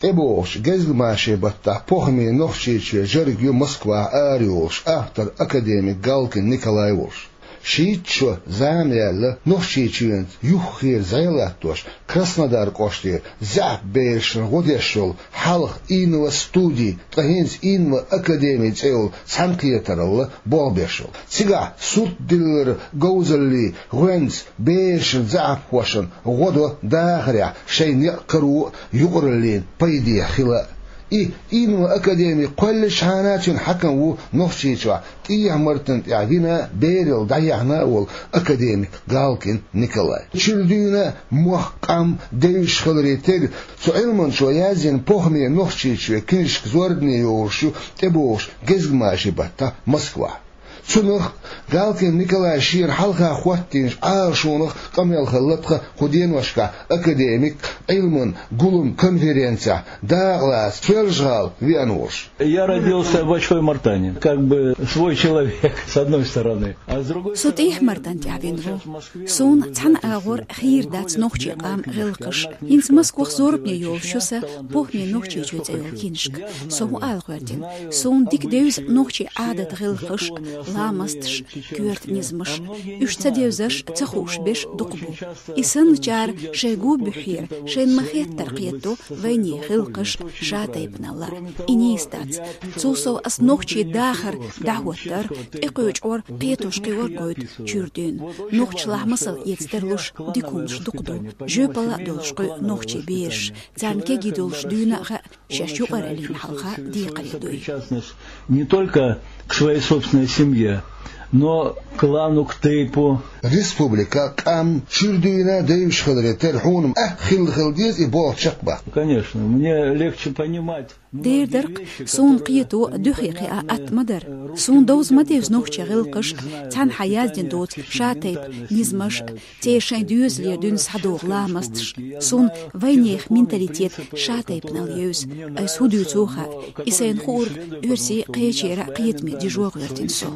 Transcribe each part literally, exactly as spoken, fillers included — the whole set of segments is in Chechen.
ТӀебогӀучу гезгмашин баттахь похӀмий Нохчийчоь жийриг ю Москвахь арайолуш автор, академик Галкин Николай волуш. Шийтта шо зама яьлла Нохчийчоьнца юххера зӀе латтош, Краснодар кӀоштера заьӀап берашна гӀо деш йолу хьалха «Инва» студи, ткъа хӀинца «Инва академи» цӀе йолу цхьаьнакхетаралла болх беш йолу. Цигахь суртдилларан говзаллин гӀоьнца берашна, заьӀапхошна гӀо до дахарехь шайн некъ каро а, юкъараллин пайде хила а. И «Инва академи» кхоьллинчхьана цуьнан хьаькам ву Нохчийчохь тӀехьа-мартана тӀехь вина, бералла дӀахьехна а волу академик Галкин Николай. Чуьра дуьйна мох, къам девзаш хиларе терра, цу Ӏилманчо яздина похӀмий Нохчийчоь киншка зорбане йолуш ю тӀебогӀучу гезгмашин баттахь Москвахь. Цунах, Галкин Николай шена хьалха хӀоттийначу Ӏалашонах къамел хилла тхан кху деношкахь академик Ӏилманан гуламан конференцехь дакъалаца Соьлжа-ГӀала веана волуш. Я родился в Большой Мартане, как бы свой человек, с одной стороны. А с другой стороны, тӀехьа-мартана тӀехь вина ву. Суна цхьана агӀор хийра дац нохчийн къам, гӀиллакхаш. ХӀинца Москвахь зорбане йолуш ю сан похӀмий Нохчийчоь цӀе йолу киншка. Со хӀун ала гӀоьртина? Суна дика девза нохчийн Ӏадат, гӀиллакхаш, ламасташ, коьрта низамаш. Уьш ца девзаш, ца хууш берш дукха бу. И санначара шайн гу буьххьера, шайна ма-хеттара кхетадо вайнехан гӀиллакхаш, шатайпаналла. И нийса дац. Цул сов ас нохчийн дахар дӀахӀоттар, тӀекхуьучу гӀор кхетош кхиор гойту чуьра дуьйна. Нохчашлахь масал эца тарлуш дика хӀуманаш дукха ду. Жоьпалла а долуш кхуьу нохчийн бераш. Царна кегий долуш дуьйна а хаьа, шаьш юкъараллина хьалха декхаре дуй. Не только к своей собственной семье, но к клану, к тейпу. Республика, къам чуьра дуьйна девзаш хиларе терра, хьуна а хилла хила деза и болх чекхбаккха. Конечно, мне легче понимать. Дера дара-кх, суна кхето дуьхе кхиа атта ма дара. Суна довза ма девза нохчийн гӀиллакхаш, цхьаьнахьа яздина доцу шатайпа низамаш, церан шайн доьзалера дуьйна схьадогӀу ламасташ. Суна вайнехан менталитет, шатайпанал евза. Айса хӀун дуьйцу хаьа. И сайна хуура оьрсийн, кхечеран кхетаме дижо гӀоьртина со.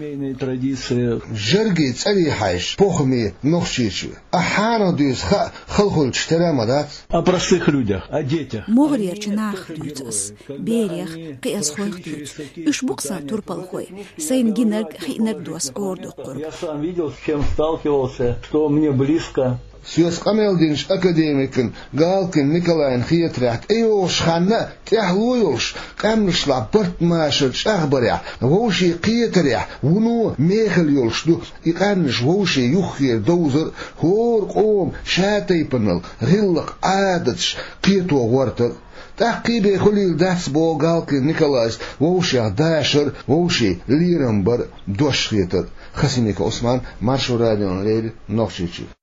Жийриг цӀарий хьаьжча, похӀмий Нохчийчоь. Ахь хьанах дуьйцу хаьа, халахеташ тера ма дац. О простых людях, о детях. МогӀарерчу нахах дуьйцу ас, берех, кхиазхойх дуьйцу. Уьш бу-кх сан турпалхой, сайна гинарг, хиънарг доссо ора доккхург. Я сам видел, с чем сталкивался, что мне близко. Соьца къамел динчу академикан Галкин Николайна хетарехь, тӀейогӀучу ханна а тӀаьхьало йолуш, къаьмнашлахь барт-машар чӀагӀбарехь, вовшийн кхетарехь вуно мехала йолуш ду и къаьмнаш вовшийн юххера довзар а, хӀора къоман шатайпанал, гӀиллакх, Ӏадаташ кхето гӀортар а. ТӀаккхий бен хуьлийла дац, боху Галкин Николайс, вовшех дашар а, вовшийн лерам бар а дош хетар а. Хасимиков Ӏусман, Маршо радиона леррина, Нохчийчуьра.